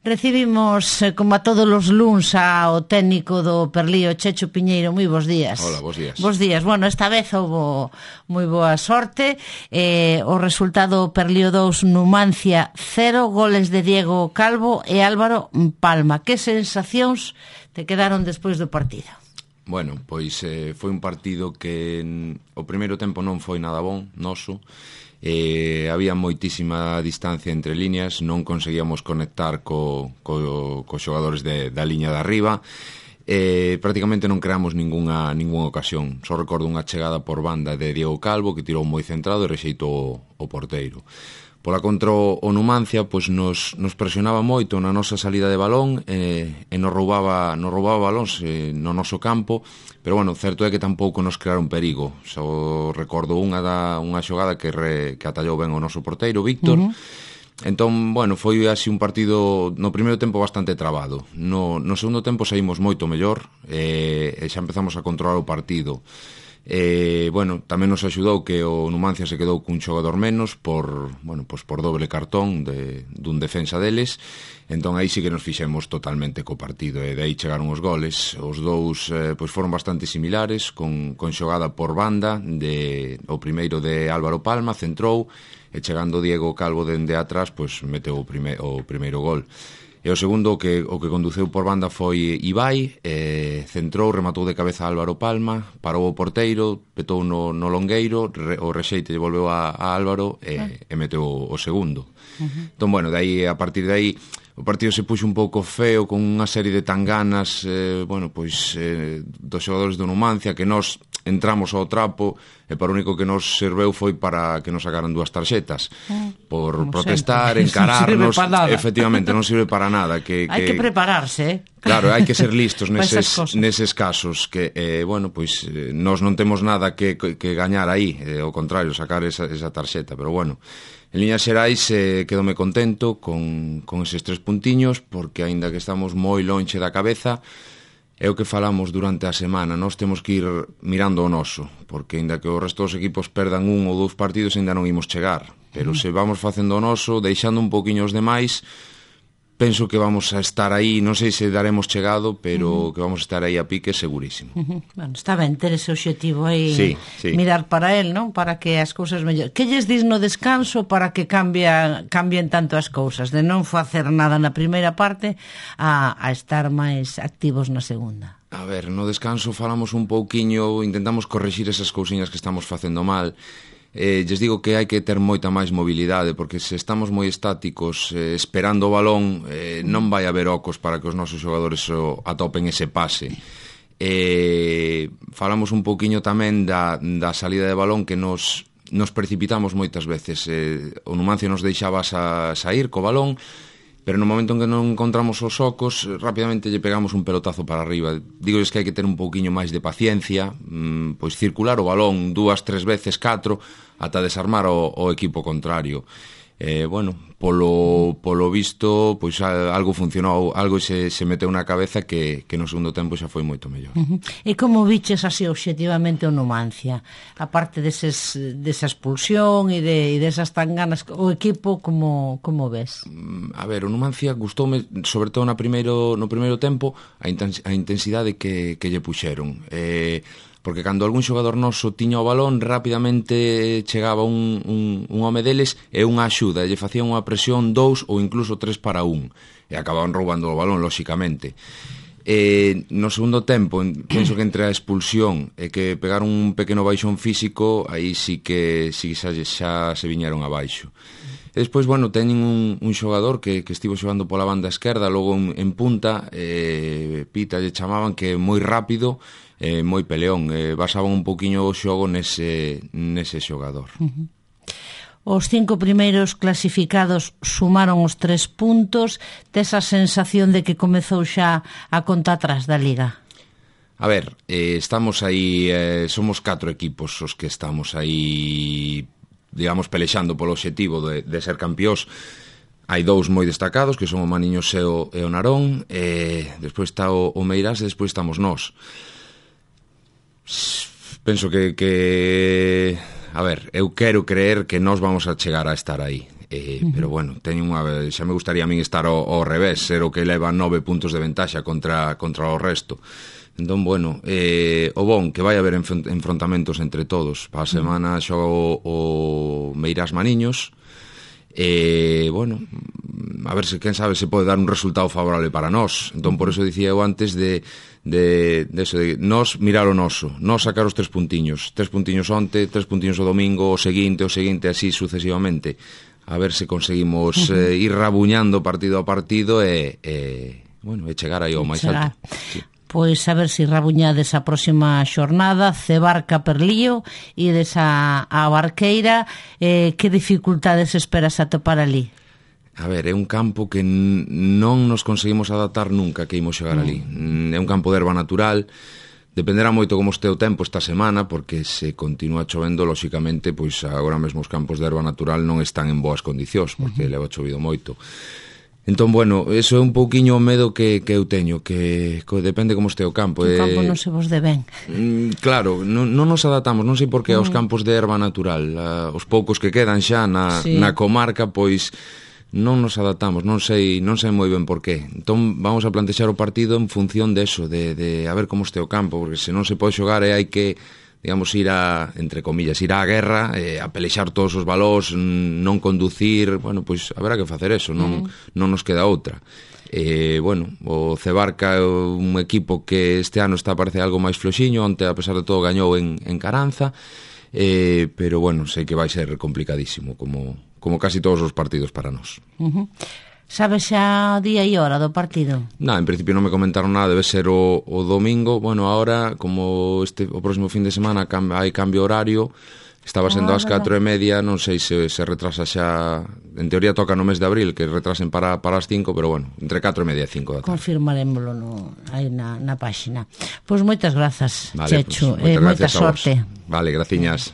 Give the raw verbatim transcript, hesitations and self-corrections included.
Recibimos, eh, como a todos os luns, ao técnico do Perlío, Checho Piñeiro. Moi bons días. Hola, bons días. Bos días. Bueno, esta vez houve moi boa sorte. Eh, o resultado Perlío dous, Numancia cero, goles de Diego Calvo e Álvaro Palma. Que sensacións te quedaron despois do partido? Bueno, pois eh, foi un partido que en, o primeiro tempo non foi nada bon, noso. Eh, había moitísima distancia entre líneas, non conseguíamos conectar co, co, co xogadores de, da liña de arriba. Eh, prácticamente non creamos ningunha, ningunha ocasión. Só recordo unha chegada por banda de Diego Calvo que tirou moi centrado e rexeitou o, o porteiro. Pola contra o Numancia, pois nos, nos presionaba moito na nosa salida de balón e, e nos roubaba, nos roubaba balóns eh, no noso campo, pero bueno, certo é que tampouco nos crearon perigo. Só recordo unha, da, unha xogada que, re, que atallou ben o noso porteiro, Víctor. Uh-huh. Entón, bueno, foi así un partido no primeiro tempo bastante trabado. No, no segundo tempo saímos moito mellor e, e xa empezamos a controlar o partido. Eh, bueno, tamén nos axudou que o Numancia se quedou cun xogador menos por, bueno, pues por doble cartón de, dun defensa deles. Entón aí sí que nos fixemos totalmente co partido e de aí chegaron os goles. Os dous eh, pues foron bastante similares, con, con xogada por banda de, o primeiro de Álvaro Palma, centrou, e chegando Diego Calvo dende atrás, pues meteu o, prime, o primeiro gol. E o segundo que, o que conduceu por banda foi Ibai, eh, centrou, rematou de cabeza Álvaro Palma, parou o porteiro, petou no, no longueiro, re, o rexeite lle volveu a, a Álvaro e, ah. e meteu o, o segundo. Uh-huh. Entón, bueno, de aí, a partir de aí o partido se puxo un pouco feo, con unha serie de tanganas, eh, bueno, pois eh, dos xogadores do Numancia, que nós entramos ao trapo e para o único que nos serveu foi para que nos sacaran dúas tarxetas por como protestar, sempre. Encararnos. Non efectivamente, non sirve para nada. Que, hai que, que prepararse, eh? Claro, hai que ser listos neses, neses casos que, eh, bueno, pois eh, nós non temos nada que, que, que gañar aí, eh, ao contrario, sacar esa, esa tarxeta, pero bueno, en líneas xerais eh, quedome contento con, con eses tres puntiños, porque aínda que estamos moi lonxe da cabeza, é o que falamos durante a semana, nós temos que ir mirando o noso, porque aínda que o resto dos equipos perdan un ou dous partidos aínda non imos chegar, pero se vamos facendo o noso, deixando un poquinho os demais, penso que vamos a estar aí, non sei se daremos chegado, pero uh-huh. que vamos a estar aí a pique segurísimo. Uh-huh. Bueno, está ben ter ese obxectivo aí, sí, sí. Mirar para el, non? Para que as cousas mellor. Que lles dis no descanso para que cambia, cambien tanto as cousas, de non facer nada na primeira parte a, a estar máis activos na segunda? A ver, no descanso falamos un pouquiño, intentamos correxir esas cousiñas que estamos facendo mal. Eh, lles digo que hai que ter moita máis mobilidade, porque se estamos moi estáticos eh, esperando o balón, eh, non vai haber ocos para que os nosos xogadores o, atopen ese pase. Eh, falamos un pouquiño tamén da, da salida de balón, que nos, nos precipitamos moitas veces. Eh, o Numancia nos deixaba sa, sair co balón, pero no momento en que non encontramos os ocos, rapidamente lle pegamos un pelotazo para arriba. Digo que hai que ter un pouquiño máis de paciencia, mmm, pois circular o balón dúas, tres veces, catro, ata desarmar o, o equipo contrario. Eh, bueno, polo, polo visto, pois algo funcionou, algo se, se meteu na cabeza que, que no segundo tempo xa foi moito mellor. Uh-huh. E como viches así obxectivamente o Numancia? A parte deses, desa expulsión e de, desas tan ganas, o equipo como, como ves? A ver, o Numancia gustoume, sobre todo na primeiro, no primeiro tempo, a, intens, a intensidade que, que lle puxeron. Eh, porque cando algún xogador noso tiña o balón, rapidamente chegaba un, un, un home deles e unha axuda, e lle facían unha presión dous ou incluso tres para un, e acababan roubando o balón, lóxicamente. E no segundo tempo, penso que entre a expulsión e que pegaron un pequeno baixón físico, aí sí que sí, xa, xa se viñeron abaixo. E despois, bueno, teñen un, un xogador que, que estivo xogando pola banda esquerda, logo en, en punta, eh, Pita lle chamaban, que é moi rápido, eh, moi peleón, eh, basaban un poquinho o xogo nese, nese xogador. Uh-huh. Os cinco primeiros clasificados sumaron os tres puntos, tes a sensación de que comezou xa a conta atrás da Liga? A ver, eh, estamos aí, eh, somos catro equipos os que estamos aí, digamos, pelexando polo obxectivo de, de ser campiós. Hai dous moi destacados, que son o Maniños e o, e o Narón, e despois está o, o Meirás e despois estamos nós. Penso que, que, a ver, eu quero creer que nós vamos a chegar a estar aí. Eh, uh-huh. Pero bueno, teño unha, xa me gustaría a min estar ao, ao revés, ser o que leva nove puntos de ventaxa contra, contra o resto. Entón, bueno, eh, o bon, que vai haber enfrontamentos entre todos. Para a semana xogo o Meirás Maniños, e, eh, bueno, a ver se, quen sabe, se pode dar un resultado favorable para nós. Entón, por eso dicía eu antes de, de, de eso, de nós mirar o noso, nós sacar os tres puntiños, tres puntiños onte, tres puntiños o domingo, o seguinte, o seguinte, así sucesivamente. A ver se conseguimos uh-huh. eh, ir rabuñando partido a partido e, e bueno, e chegar aí ao máis alto. Sí. Pois a ver se rabuñades a próxima xornada, Cebarca Perlío, e desa a Barqueira, eh, que dificultades esperas atopar ali? A ver, é un campo que non nos conseguimos adaptar nunca que imos xogar uh-huh. ali. É un campo de erva natural. Dependerá moito como este o tempo esta semana, porque se continúa chovendo, lóxicamente, pois agora mesmo os campos de erva natural non están en boas condicións, porque uh-huh. leva chovido moito. Entón, bueno, eso é un pouquiño o medo que, que eu teño, que, que depende como este o campo. O campo eh, non se vos de ben. Mm, claro, non, non nos adaptamos, non sei por que uh-huh. aos campos de erva natural, uh, os poucos que quedan xa na, sí. na comarca, pois non nos adaptamos, non sei non sei moi ben por qué. Entón vamos a plantexar o partido en función de eso, de, de a ver como este o campo, porque se non se pode xogar e hai que, digamos, ir a, entre comillas, ir á guerra, eh, a pelexar todos os balós, non conducir, bueno, pois haberá que facer eso, non, mm. non nos queda outra. Eh, bueno, o Cebarca é un equipo que este ano está parece algo máis floxiño, onte a pesar de todo gañou en, en Caranza, eh, pero bueno, sei que vai ser complicadísimo, como como casi todos os partidos para nós. Uh-huh. Sabes xa día e hora do partido? Na, en principio non me comentaron nada, debe ser o, o domingo. Bueno, ahora, como este o próximo fin de semana cam, hai cambio horario, estaba sendo ah, ás catro e media, non sei se se retrasa xa, en teoría toca no mes de abril, que retrasen para, para as cinco, pero bueno, entre catro e media e cinco da tarde. Confirmarémoslo no, aí na, na páxina. Pois moitas grazas, vale, Checho, pues, e moita sorte. Vale, graciñas.